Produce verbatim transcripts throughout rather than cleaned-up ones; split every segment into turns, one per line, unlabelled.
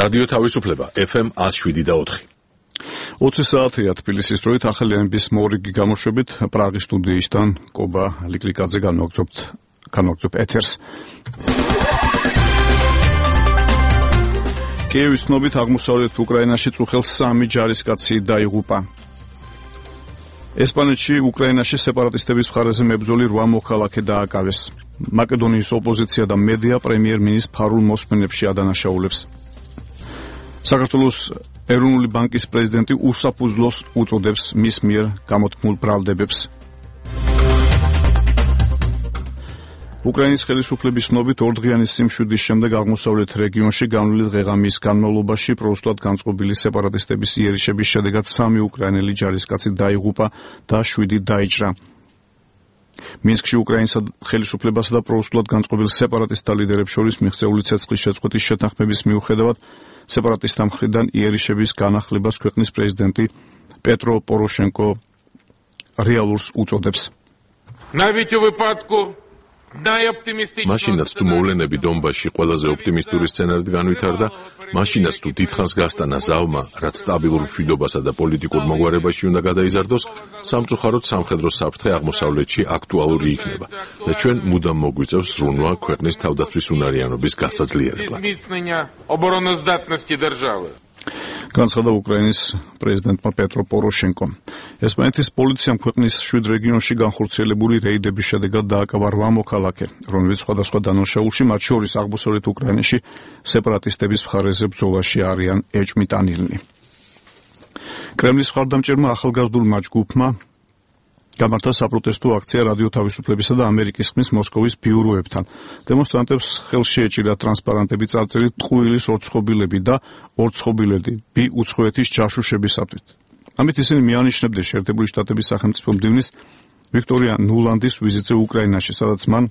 რადიო თავისუფლება ეფ ემ one oh seven და four.
ოცი საათია თბილისის დროით ახალი ამბის მორიგი გამოშვებით პრაღის სტუდიისთან კობა ლიკლიკაძე განვაგრძობთ განვაგრძობ ეთერს. კიევის ცნობით აღმოსავლეთ უკრაინაში წუხელ სამი ჯარისკაცი დაიღუპა. ესპანეთში უკრაინაში სეპარატისტების მხარეზე მებრძოლი რვა მოქალაქე დააკავეს. მაკედონიის ოპოზიცია და მედია პრემიერ-მინისტრ ფარულ მოსმენებში ადანაშაულებს. საქართველოს ეროვნული ბანკის პრეზიდენტი უსაფუძვლოს უწოდებს მის მიერ გამოთქმულ ბრალდებებს. უკრაინის ხელისუფლების ცნობით ორდღიანი სიმშვიდის შემდეგ აღმოსავლეთ რეგიონში განვლილი დღე-ღამის განმავლობაში პროუსულად განწყობილი სეპარატისტების იერიშების შედეგად სამი უკრაინელი ჯარისკაცი დაიღუპა და შვიდი დაიჭრა. მინსკში უკრაინის ხელისუფლებასა და პროუსულად განწყობილ სეპარატისტთა ლიდერებს შორის მიღწეული ცეცხლის შეწყვეტის შეთანხმების მიუხედავად სეპარატისტთა მხრიდან იერიშების განახლებას ქვეყნის პრეზიდენტი პეტრო პოროშენკო რეალურს უწოდებს.
მაშინაც თუ მოვლენები დონბასში ყველაზე ოპტიმისტური სცენარით განვითარდა, მაშინაც თუ დიდხანს გასტანა ზავმა, რაც სტაბილურ მშვიდობასა და პოლიტიკურ მოგვარებაში უნდა გადაიზარდოს, სამწუხაროდ სამხედრო საფრთხე აღმოსავლეთში აქტუალური იქნება და ჩვენ მუდამ მოგვიწევს ზრუნვა ქვეყნის თავდაცვის უნარიანობის გასაძლიერებლად.
განცხადა უკრაინის პრეზიდენტმა პეტრო პოროშენკომ. ესპანეთის პოლიციამ ქვეყნის შვიდ რეგიონში განხორციელებული რეიდების შედეგად დააკავა რვა მოქალაქე, რომლებიც სხვადასხვა დანაშაულში, მათ შორის აღმოსავლეთ უკრაინაში სეპარატისტების მხარეზე ბრძოლაში არიან ეჭვმიტანილნი. კრემლის მხარდამჭერმა ახალგაზრდულმა ჯგუფმა გამართა საპროტესტო აქცია რადიო თავისუფლებისა და ამერიკის ხმის მოსკოვის ბიუროებთან. დემონსტრანტებს ხელში ეჭირა ტრანსპარანტები წარწერით ტყუილის ორცხობილები და ორცხობილები უცხოეთის ჯაშუშებისათვის. ამით ისინი მიანიშნებდნენ შეერთებული შტატების სახელმწიფო მდივნის ვიქტორია ნულანდის ვიზიტზე უკრაინაში, სადაც მან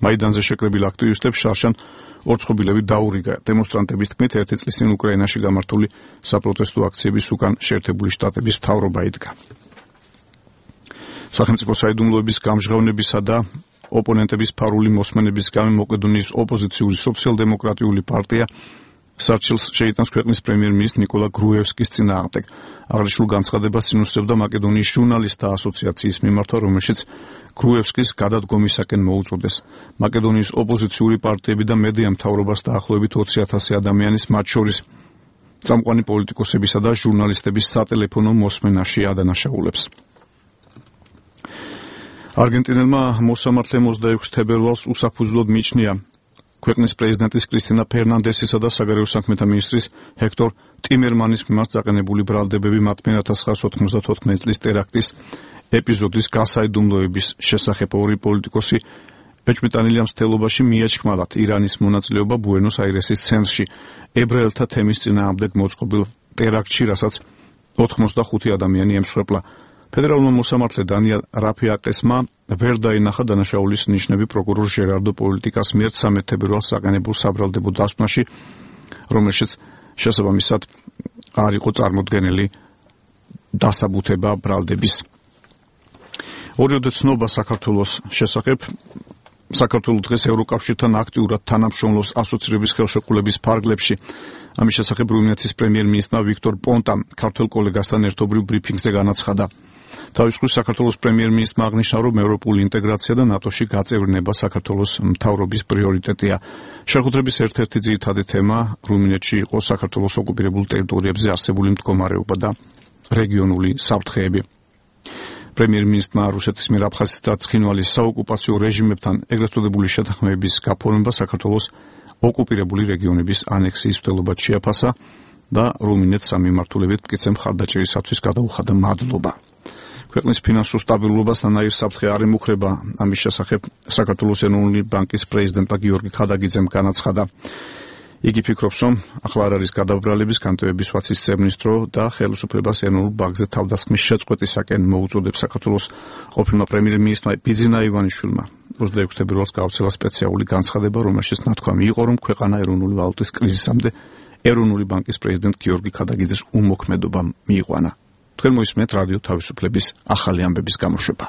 მაიდანზე შეკრებილ აქტივისტებს შარშან ორცხობილები დაურიგა. დემონსტრანტების თქმით, ერთი წლის წინ უკრაინაში გამართული საპროტესტო აქციების უკან შეერთებული შტატების მთავრობა იდგა. სახელმწიფო საიდუმლოების გამჟღავნებისა და ოპონენტების ფარული მოსმენების გამო მაკედონიის ოპოზიციური სოციალ-დემოკრატიული პარტია სარჩელს შეიტანს ქვეყნის პრემიერ-მინისტრ ნიკოლა გრუევსკის წინააღმდეგ. აღნიშნულ განცხადებას წინუსწევდა მაკედონიის ჟურნალისტთა ასოციაციის მიმართვა, რომელშიც გრუევსკის გადადგომისაკენ მოუწოდეს. მაკედონიის ოპოზიციური პარტიები და მედია მთავრობას დაახლოებით ოცი ათასი ადამიანის, მათ შორის წამყვანი პოლიტიკოსებისა და ჟურნალისტების სატელეფონო მოსმენაში ადანაშაულებს. არგენტინელმა მოსამართლე ოცდაექვსი თებერვალს უსაფუძვლოდ მიჩნია ქვეყნის პრეზიდენტის კრისტინა ფერნანდესისა და საგარეო საქმეთა მინისტრის ჰექტორ ტიმერმანის მიმართ დაყენებული ბრალდებები მათ მიერ ოთხ ათას ოცდაოთხ წლის ტერაქტის ეპიზოდის გასაიდუმლოების შესახებ. ორი პოლიტიკოსი ეჭვმიტანილია მცდელობაში მიაჩქმალათ ირანის მონაწილეობა ბუენოს აირესის ცენტრში ებრაელთა თემის წინააღმდეგ მოწყობილ ტერაქტში, რასაც ოცდახუთი ადამიანი ემსხვერპლა. ფედერალურმა მოსამართლე დანიელ რაფიაკესმა ვერ დაინახა დანაშაულის ნიშნები პროკურორ ჟერარდო პოლიტიკას მიერ სამი თებერვალს საყენებულ საბრალდებო დასკვნაში, რომელშიც შესაბამისად არ იყო წარმოდგენილი დასაბუთება ბრალდების. ორივე ცნობა საქართველოს შესახებ. საქართველოს დღეს ევროკავშირთან აქტიურად თანამშრომლობს ასოცირების ხელშეკრულების ფარგლებში. ამის შესახებ რუმინეთის პრემიერ-მინისტრმა ვიქტორ პონტამ ქართველ კოლეგასთან ერთობრივ ბრიფინგზე განაცხადა. თავის მხრივ საქართველოს პრემიერ-მინისტრმა აღნიშნა, რომ ევროპული ინტეგრაცია და ნატოში გაწევრიანება საქართველოს მთავრობის პრიორიტეტია. შეხვედრების ერთ-ერთი ძირითადი თემა რუმინეთში იყო საქართველოს ოკუპირებულ ტერიტორიებზე არსებული მდგომარეობა და რეგიონული საფრთხეები. პრემიერ-მინისტრმა რუსეთის მიერ აფხაზეთის და ცხინვალის საოკუპაციო რეჟიმებთან ეგრეთ წოდებული შეთანხმების გაფორმება საქართველოს ოკუპირებული რეგიონების ანექსიის მცდელობად შეაფასა და რუმინეთს სამიმართულებით მტკიცე მხარდაჭერისათვის გადაუხადა მადლობა. ქვეყნის ფინანსურ სტაბილურობას ნაირ საფრთხე არ ემუქრება. ამის შესახებ საქართველოს ეროვნული ბანკის პრეზიდენტმა გიორგი ქადაგიძემ განაცხადა. იგი ფიქრობს, რომ ახლა არ არის გადაბრალების, განტევების ვაცის წევნის დრო და ხელისუფლებას ეროვნულ ბანკზე თავდასხმის შეწყვეტისაკენ მოუწოდებს. საქართველოს ყოფილმა პრემიერ-მინისტრმა ბიძინა ივანიშვილმა ოცდაექვსი თებერვალს გაავრცელა სპეციალური განცხადება, რომელშიც ნათქვამი იყო, რომ ქვეყანა ეროვნული ვალუტის კრიზისამდე ეროვნული ბანკის პრეზიდენტ გიორგი ქადაგიძეს უმოქმედობა მიიყვანა. თქვენ მოისმენთ რადიო თავისუფლების ახალი ამბების გამოშვება.